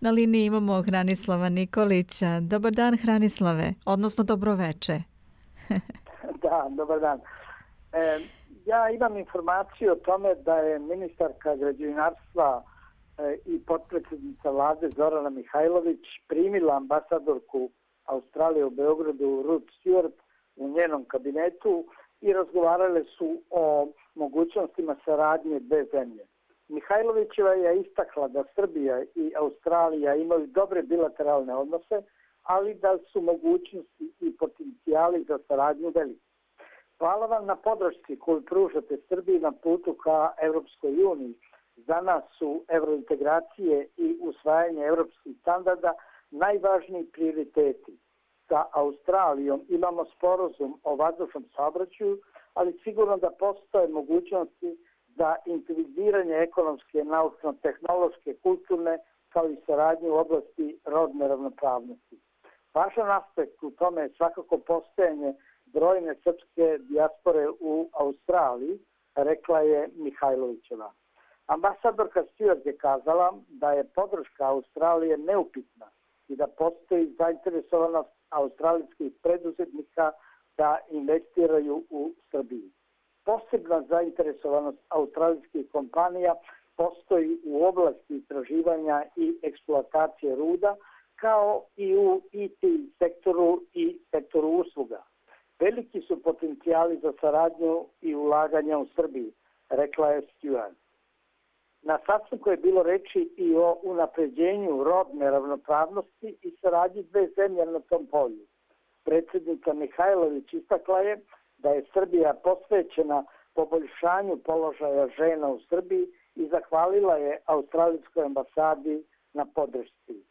Na liniji imamo Hranislava Nikolića. Dobar dan, Hranislave, odnosno dobroveče. Da, dobar dan. Ja imam informaciju o tome da je ministarka građevinarstva i potpredsjednica vlade Zorana Mihajlović primila ambasadorku Australije u Beogradu Ruth Stewart u njenom kabinetu i razgovarale su o mogućnostima saradnje dve zemlje. Mihajlovićeva je istakla da Srbija i Australija imaju dobre bilateralne odnose, ali da su mogućnosti i potencijali za saradnju veliki. Hvala vam na podršci koju pružate Srbiji na putu ka Evropskoj uniji. Za nas su evrointegracije i usvajanje evropskih standarda najvažniji prioriteti. Sa Australijom imamo sporazum o vazdušnom saobraćaju, ali sigurno da postoje mogućnosti za integriranje ekonomske, naučno-tehnološke, kulturne, kao i saradnje u oblasti rodne ravnopravnosti. Važan aspekt u tome je svakako postojanje brojne srpske dijaspore u Australiji, rekla je Mihajlovićeva. Ambasadorka Stewart je kazala da je podrška Australije neupitna i da postoji zainteresovanost australijskih preduzetnika da investiraju u Srbiji. Posebna zainteresovanost australijskih kompanija postoji u oblasti istraživanja i eksploatacije ruda, kao i u IT sektoru i sektoru usluga. Veliki su potencijali za saradnju i ulaganja u Srbiji, rekla je Stewart. Na sastanku je bilo reči i o unapređenju rodne ravnopravnosti i saradnji dve zemlje na tom polju. Predsjednica Mihajlović istakla je da je Srbija posvećena poboljšanju položaja žena u Srbiji i zahvalila je Australijskoj ambasadi na podršci.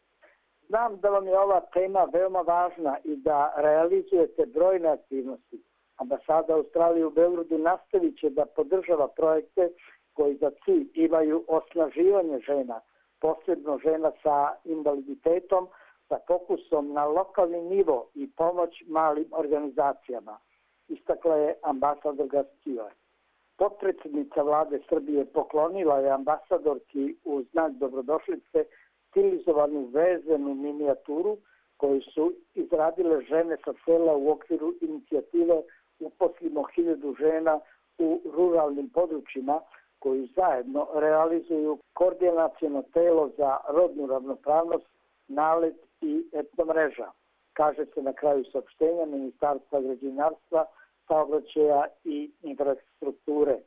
Znam da vam je ova tema veoma važna i da realizujete brojne aktivnosti. Ambasada Australije u Beogradu nastavit će da podržava projekte koji za cilj imaju osnaživanje žena, posebno žena sa invaliditetom, sa fokusom na lokalni nivo i pomoć malim organizacijama, istakla je ambasadorka Stewart. Potpredsjednica vlade Srbije poklonila je ambasadorki u znak dobrodošlice stilizovanu vezenu minijaturu koju su izradile žene sa sela u okviru inicijative Uposlimo 1000 žena u ruralnim područjima, koju zajedno realizuju koordinaciono telo za rodnu ravnopravnost, NALED i etnomreža, kaže se na kraju saopštenja Ministarstva građevinarstva, saobraćaja i infrastrukture.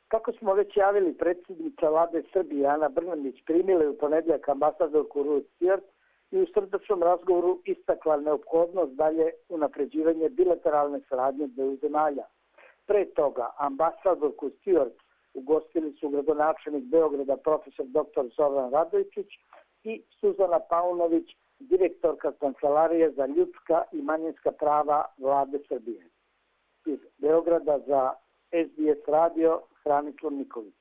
Kako smo već javili, predsjednica vlade Srbije Ana Brnabić primila je u ponedjeljak ambasadorku Ruth Stewart i u srdačnom razgovoru istakla neophodnost dalje unapređivanje bilateralne saradnje dveju zemalja. Pre toga ambasadorku Stewart ugostili su gradonačelnik Beograda profesor dr. Zoran Radojičić i Suzana Paunović, direktorka Kancelarije za ljudska i manjinska prava vlade Srbije. Iz Beograda za SBS radio Hranislav Nikolić.